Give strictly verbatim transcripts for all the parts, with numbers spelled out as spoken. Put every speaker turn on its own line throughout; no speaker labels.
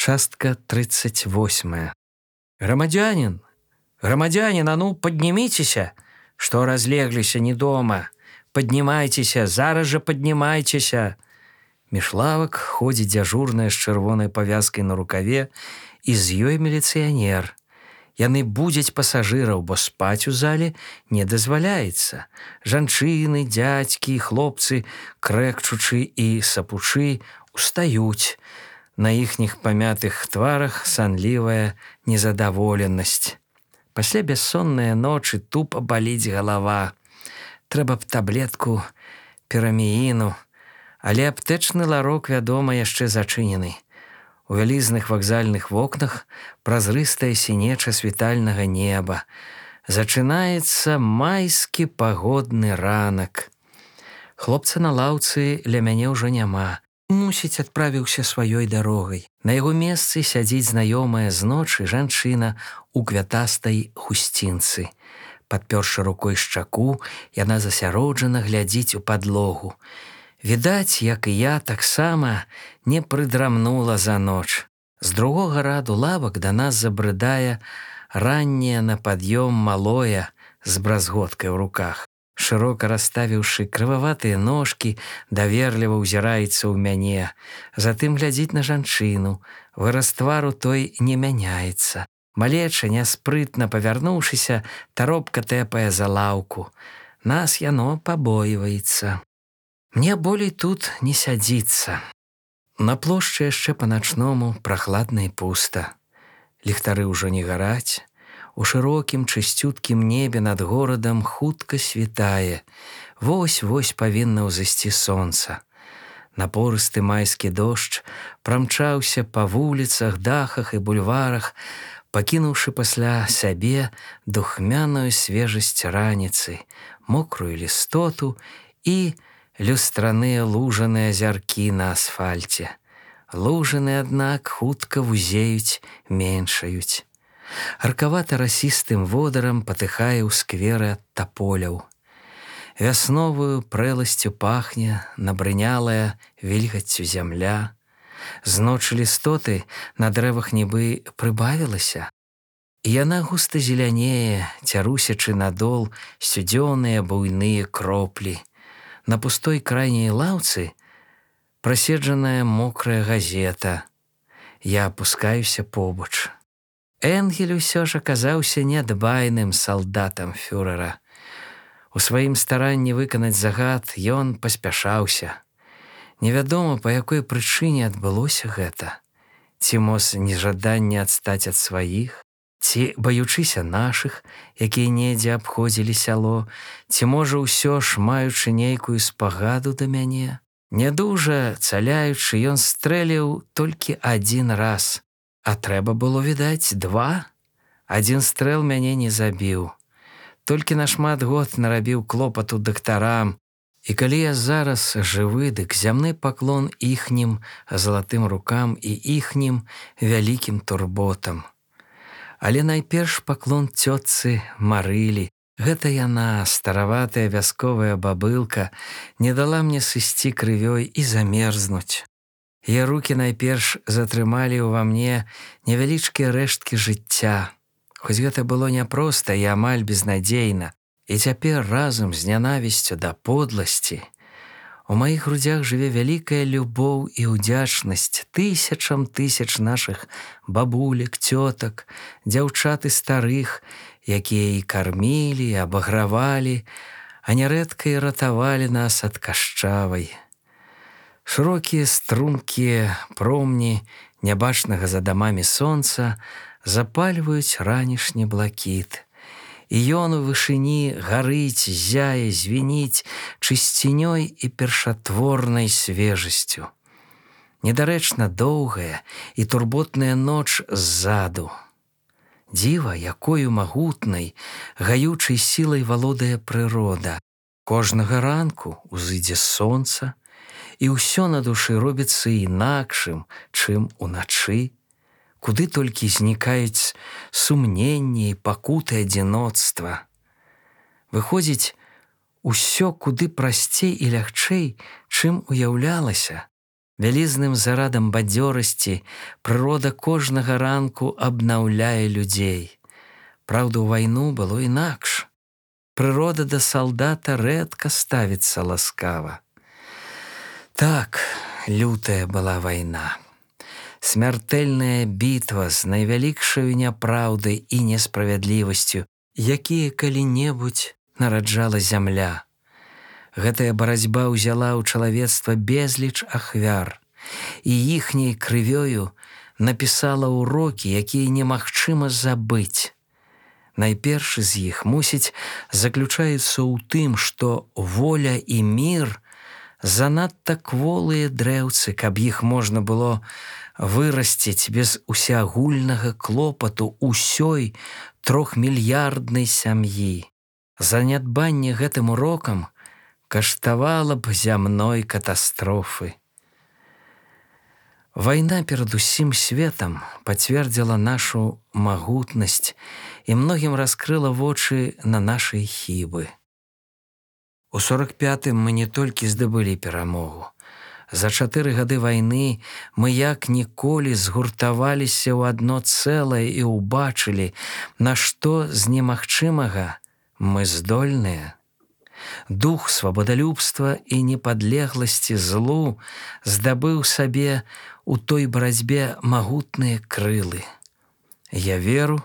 Частка тридцать восьмая. Громадянин, громадянин, а ну поднимитеся, что разлеглися не дома. Поднимайтеся, зараз же поднимайтеся. Між лавак ходзіць дзяжурная з чырвонай павязкай на рукаве, і з ёй міліцыянер. Яны будзяць пасажыраў, бо спаць у зале не дазваляецца. Жанчыны, дзядзькі, хлопцы, крэкчучы і сапучы, устаюць. На іхніх памятых тварах санлівая незадаволенасць. Пасля бяссонныя ночы тупа баліць галава. Трэба б таблетку пірамііну, але аптэчны ларок, вядома, яшчэ зачынены. У вялізных вакзальных вокнах празрыстая сінеча світальнага неба. Зачынаецца майскі пагодны ранак. Хлопца на лаўцы ля мяне ўжо няма. Мусіць, адправіўся сваёй дарогай. На яго месцы сядзіць знаёмая з ночы жанчына у квятастай хусцінцы. Падпёршы рукой шчаку, яна засяроджана глядзіць у падлогу. Відаць, як і я, таксама не прыдрамнула за ноч. З другога раду лавак да нас забрыдае ранняе на пад'ём малое з бразготкай у руках. Шырока расставіўшы крываватыя ножкі, даверліва ўзіраецца ў мяне. Затым глядзіць на жанчыну. Выраз твару той не мяняецца. Малеча, няспрытна павярнуўшыся, таропка тэпае за лаўку. Нас яно пабойваецца. Мне болей тут не сядзіцца. На плошчы яшчэ па-начному прахладна і пуста. Ліхтары ўжо не гараць. У шырокім чысцюткім небе над горадам хутка світае. Вось-вось павінна ўзысці сонца. Напорысты майскі дождж прамчаўся па вуліцах, дахах і бульварах, пакінуўшы пасля сябе духмяную свежасць раніцы, мокрую лістоту і люстраныя лужаныя азяркі на асфальце. Лужаны, аднак, хутка вузеюць, меншаюць. Аркавата-расістым водарам патыхае ў скверы ад таполяў. Вясновую прэласцю пахне набрынялая вільгаццю зямля. З ночы лістоты на дрэвах нібы прыбавілася. І яна густа зелянее, цярусячы надол сцюдзёныя буйныя кроплі. На пустой крайняй лаўцы праседжаная мокрая газета. Я апускаюся побач. Энгель усё ж аказаўся нядбайным салдатам фюрэра. У сваім старанні выканаць загад ён паспяшаўся. Невядома, па якой прычыне адбылося гэта. Ці моз нежаданне адстаць ад сваіх, ці баючыся нашых, якія недзе абходзілі сяло, ці можа ўсё ж маючы нейкую спагаду да мяне. Нядужа цаляючы, ён стрэліў толькі адзін раз. А трэба было, відаць, два. Адзін стрэл мяне не забіў. Толькі нашмат год нарабіў клопату дактарам. І калі я зараз жывы, дык зямны паклон іхнім залатым рукам і іхнім вялікім турботам. Але найперш паклон цётцы Марылі. Гэта яна, стараватая вясковая бабылка, не дала мне сысці крывёй і замерзнуць. Яе рукі найперш затрымалі ўва мне невялічкія рэшткі жыцця. Хоць гэта было няпроста і амаль безнадзейна. І цяпер разам з нянавісцю да подласці у маіх грудзях жыве вялікая любоў і ўдзячнасць тысячам тысяч нашых бабулек, цётак, дзяўчат і старых, якія і кармілі, і абагравалі, а нярэдка і ратавалі нас ад кашчавай. Шырокія струмкія промні нябачнага за дамамі сонца запальваюць ранішні блакіт. І ён у вышыні гарыць, зяе, звініць чысцінёй і першатворнай свежасцю. Недарэчна доўгая і турботная ноч ззаду. Дзіва, якою магутнай, гаючай сілай валодае прырода. Кожнага ранку узыдзе сонца, і ўсё на душы робіцца інакшым, чым уначы, куды толькі знікаюць сумненні і пакуты адзіноцтва. Выходзіць, усё куды прасцей і лягчэй, чым уяўлялася. Вялізным зарадам бадзёрасці прырода кожнага ранку абнаўляе людзей. Праўда, у вайну было інакш. Прырода да салдата рэдка ставіцца ласкава. Так, лютая была вайна. Смяртэльная бітва з найвялікшаю няпраўдай і несправядлівасцю, якія калі-небудзь нараджала зямля. Гэтая барацьба ўзяла ў чалавецтва безліч ахвяр, і іхняй крывёю напісала ўрокі, якія немагчыма забыць. Найпершы з іх, мусіць, заключаецца ў тым, што воля і мір занадта кволыя дрэўцы, каб іх можна было вырасціць без усеагульнага клопату ўсёй трохмільярднай сям'і. Занядбанне гэтым урокам каштавала б зямной катастрофы. Вайна перад усім светам пацвердзіла нашу магутнасць і многім раскрыла вочы на нашыя хібы. У сорак пятым мы не толькі здабылі перамогу. За чатыры гады вайны мы як ніколі згуртаваліся ў адно цэлае і ўбачылі, на што з немагчымага мы здольныя. Дух свабодалюбства і непадлегласці злу здабыў сабе у той барацьбе магутныя крылы. Я веру,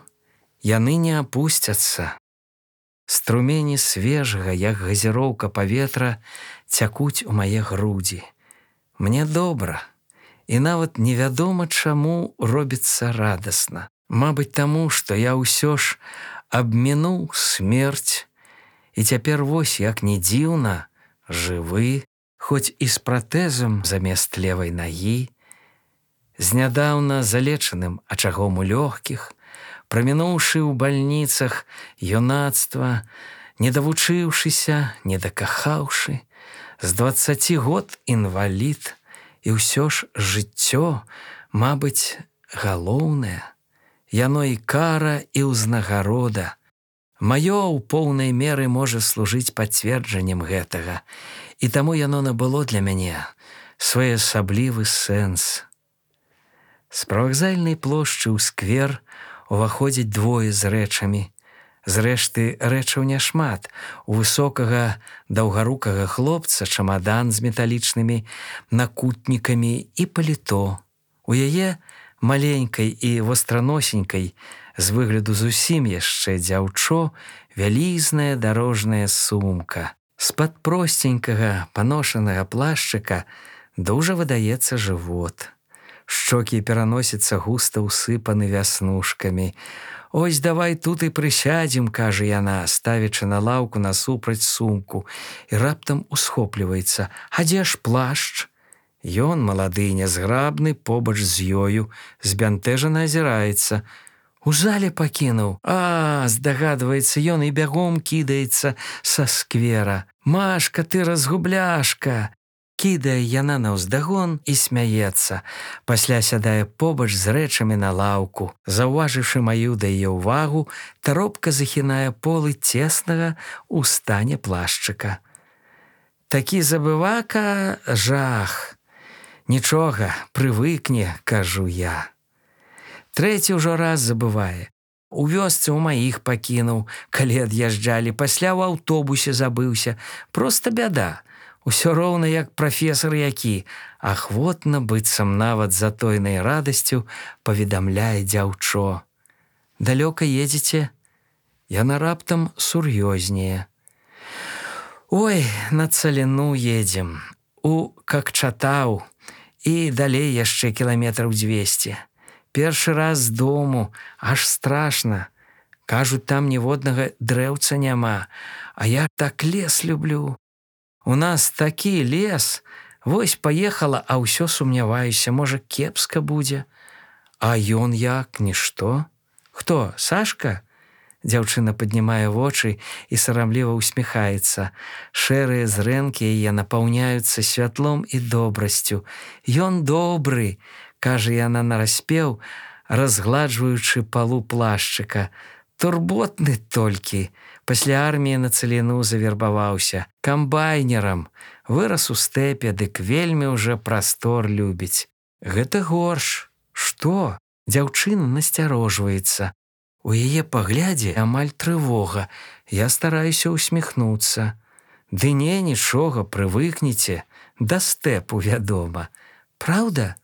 яны не апусцяцца. Струмені свежага, як газіроўка паветра, цякуць у мае грудзі. Мне добра, і нават невядома, чаму робіцца радасна. Мабыць, таму, што я ўсё ж абмінуў смерць, і цяпер вось, як не дзіўна, жывы, хоць і з пратэзам замест левай нагі, з нядаўна залечаным ачагом у лёгкіх, прамінуўшы ў бальніцах юнацтва, не давучыўшыся, не дакахаўшы, з дваццаці год інвалід, і ўсё ж жыццё, мабыць, галоўнае. Яно і кара, і ўзнагарода. Маё ў поўнай меры можа служыць пацверджаннем гэтага, і таму яно набыло для мяне своеасаблівы сэнс. З прывакзальнай плошчы ў сквер уваходзяць двое з рэчамі. Зрэшты, рэчаў няшмат. У высокага даўгарукага хлопца чамадан з металічнымі накутнікамі і паліто. У яе маленькай і востраносенькай, з выгляду зусім яшчэ дзяўчо, вялізная дарожная сумка. З-пад просценькага паношанага плашчыка дужа выдаецца жывот. Шчокі пераносіцца густа ўсыпаны вяснушкамі. «Ось давай тут і прысядзем», – кажа яна, ставячы на лаўку насупраць сумку, і раптам усхопліваецца. «А дзе ж плашч?» Ён, малады і нязграбны, побач з ёю, збянтэжана азіраецца. «У зале пакінуў». «А, здагадваецца ён і бягом кідаецца са сквера. Машка, ты разгубляшка!» Кідае яна наўздагон і смяецца. Пасля сядае побач з рэчамі на лаўку. Заўважыўшы маю да яе ўвагу, таропка захінае полы цеснага ў стане плашчыка. «Такі забывака жах. Нічога, прывыкне», – кажу я. Трэці ўжо раз забывае. У вёсцы ў маіх пакінуў, калі ад'язджалі, пасля ў аўтобусе забыўся. Проста бяда. Усё роўна як прафесар які, ахвотна, быццам нават затойнай радасцю, паведамляе дзяўчо. «Далёка едзеце?» Яна раптам сур'ёзнее. «Ой, на Цаліну едзем, у Какчатаў, і далей яшчэ кіламетраў дзвесце. Першы раз з дому, аж страшна. Кажуць, там ніводнага дрэўца няма, а я так лес люблю. У нас такі лес, вось паехала, а ўсё сумняваюся, можа, кепска будзе. А ён як, нішто? Хто, Сашка?» Дзяўчына паднімае вочы і сарамліва ўсміхаецца. Шэрыя зрэнкі яе напаўняюцца святлом і добрасцю. «Ён добры», – кажа яна нараспеў, разгладжваючы палу плашчыка. «Турботны толькі, Пасля арміі на цаліну завербаваўся камбайнерам, вырас у стэпе, дык вельмі ўжо прастор любіць. Гэта горш. Што? Дзяўчына насцярожваецца. У яе паглядзе амаль трывога. Я стараюся усміхнуцца. Ды не, нічога, прывыкніце. Да стэпу, вядома. Праўда?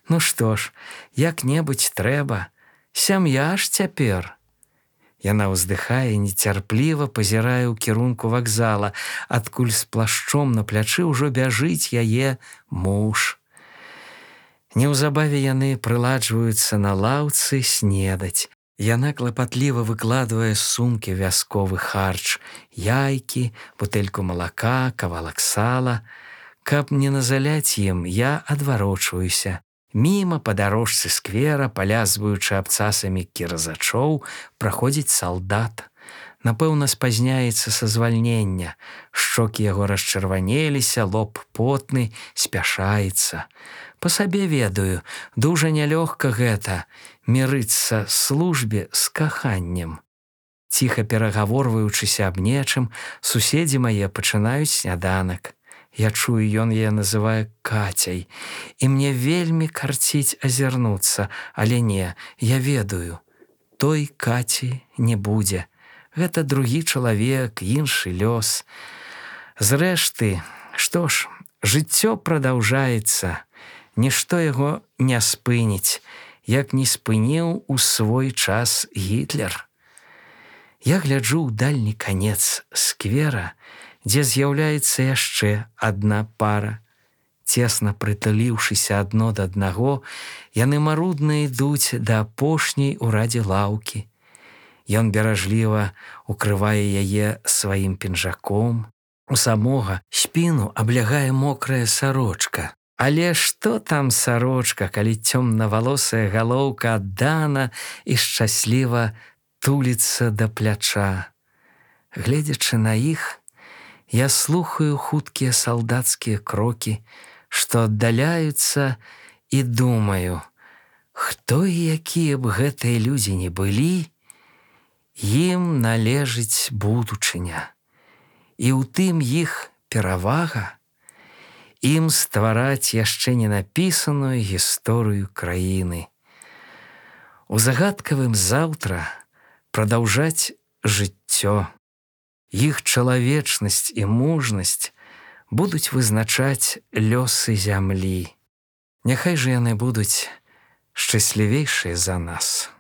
Ну што ж, як-небудзь трэба. Сям'я ж цяпер. Яна ўздыхае, нецярпліва пазірае ў кірунку вакзала, адкуль з плашчом на плячы ўжо бяжыць яе муж. Неўзабаве яны прыладжваюцца на лаўцы снедаць. Яна клапатліва выкладвае з сумкі вясковы харч, яйкі, бутэльку малака, кавалак сала. Каб не назаляць ім, я адварочваюся. Міма па дарожцы сквера, палязваючы абцасамі кіразачоў, праходзіць салдат. Напэўна, спазняецца са звальнення. Шчокі яго расчырванеліся, лоб потны, спяшаецца. Па сабе ведаю, дужа нялёгка гэта мірыцца службе з каханнем. Ціха перагаворваючыся аб нечым, суседзі мае пачынаюць сняданак. Я чую, ён яе называе Кацяй, і мне вельмі карціць азірнуцца, але не, я ведаю, той Каці не будзе. Гэта другі чалавек, іншы лёс. Зрэшты, што ж, жыццё прадаўжаецца, нішто яго не спыніць, як не спыніў у свой час Гітлер. Я гляджу ў дальні канец сквера, дзе з'яўляецца яшчэ адна пара. Цесна прытуліўшыся адно да аднаго, яны марудна ідуць да апошняй у радзе лаўкі. Ён беражліва укрывае яе сваім пінжаком. У самога спіну аблягае мокрая сарочка. Але што там сарочка, калі цёмнавалосая галоўка аддана і шчасліва туліцца да пляча. Гледзячы на іх, я слухаю хуткія салдацкія крокі, што аддаляюцца, і думаю, хто і якія б гэтыя людзі не былі, ім належыць будучыня. І ў тым іх перавага, ім ствараць яшчэ не напісаную гісторыю краіны. У загадкавым заўтра прадаўжаць жыццё. Іх чалавечнасць і мужнасць будуць вызначаць лёсы зямлі. Няхай жа яны будуць шчаслівейшыя за нас.